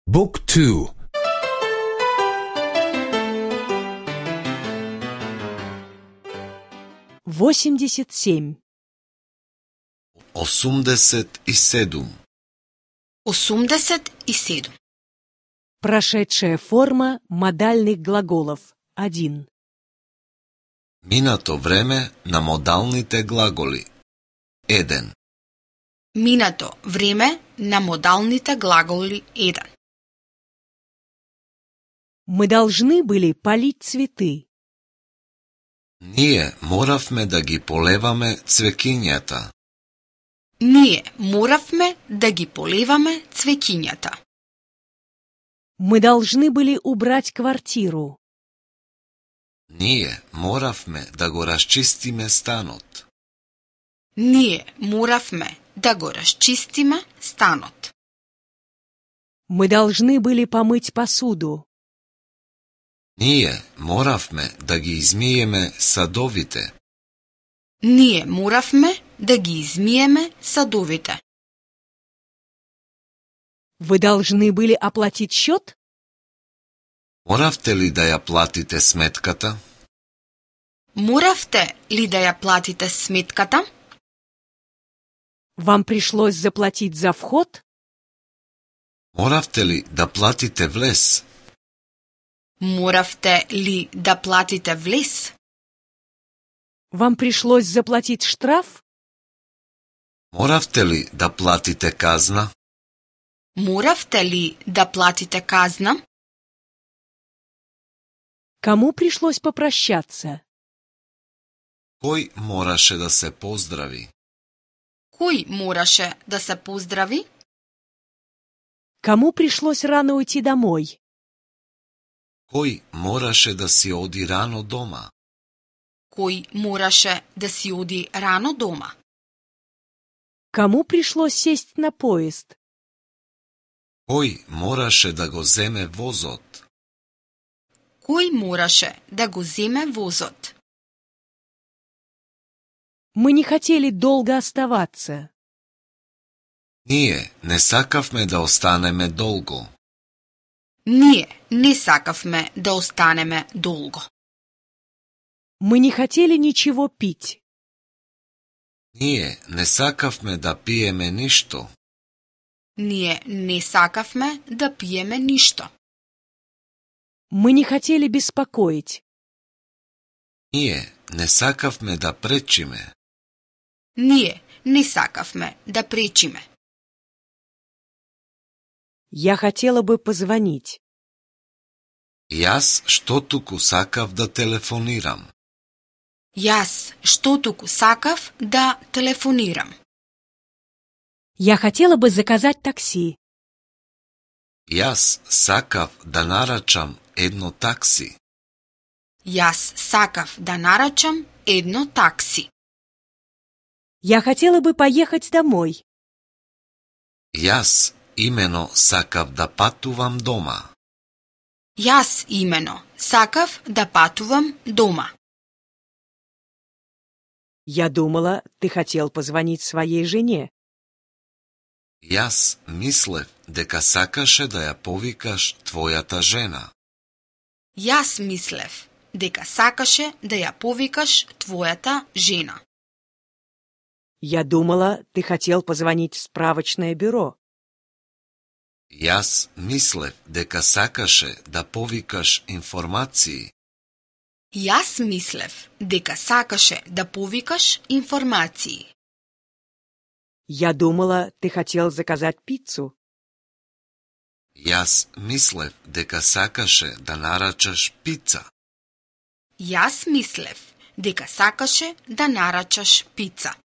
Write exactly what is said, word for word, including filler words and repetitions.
Book two. восемьдесят семь. осумдесет и седум. осумдесет и седум. Прошедшая форма модальных глаголов. один. Минато време на модалните глаголи. еден. Минато време на модалните глаголи еден. Мы должны были полить цветы. Ние моравме да ги полеваме цвекињата. Ние моравме да ги полеваме цвеќињата. Мы должны были убрать квартиру. Ние моравме да го расчистиме станот. Ние моравме да го расчистиме станот. Мы должны были помыть посуду. Ние моравме да ги измиеме садовите. Ние моравме да ги измиеме садовите. Вы должны были оплатить счет? Моравте ли да ја платите сметката? Моравте ли да ја платите сметката? Вам пришлось заплатить за вход? Моравте ли да платите влез? Моравте ли да платите влез? Вам пришлось заплатить штраф? Моравте ли да платите казна? Моравте ли да платите казна? Кому пришлось попрощаться? Кој мораше да се поздрави? Кој мораше да се поздрави? Кому пришлось рано уйти домой? Кој мораше да си оди рано дома? Кој мораше да си оди рано дома? Кому пришлось сесть на поезд? Кој мораше да го земе возот? Кој мораше да го земе возот? Мы не хотели долго оставаться. Ние не сакавме да останеме долго. Ние не сакавме да останеме долго. Мы не хотели ничего пить. Ние не сакавме да пиеме ништо. Ние не сакавме да пиеме ништо. Мы не хотели беспокоить. Ние не сакавме да пречиме. Ние не сакавме да пречиме. Я хотела бы позвонить. Јас што туку сакав да телефонирам. Јас што туку сакав да телефонирам. Я хотела бы заказать такси. Јас сакав да нарачам едно такси. Јас сакав да нарачам едно такси. Я хотела бы поехать домой. Јас имено сакав да патувам дома. Јас имено сакав да патувам дома. Я думала, ты хотел позвонить своей жене. Јас мислев дека сакаше да ја повикаш твојата жена. Јас мислев дека сакаше да ја повикаш твојата жена. Я думала, ты хотел позвонить в справочное бюро. Јас мислев дека сакаше да повикаш информации. Јас мислев дека сакаше да повикаш информации. Я думала, ты хотел заказать пиццу. Јас мислев дека сакаше да нарачаш пица. Јас мислев дека сакаше да нарачаш пица.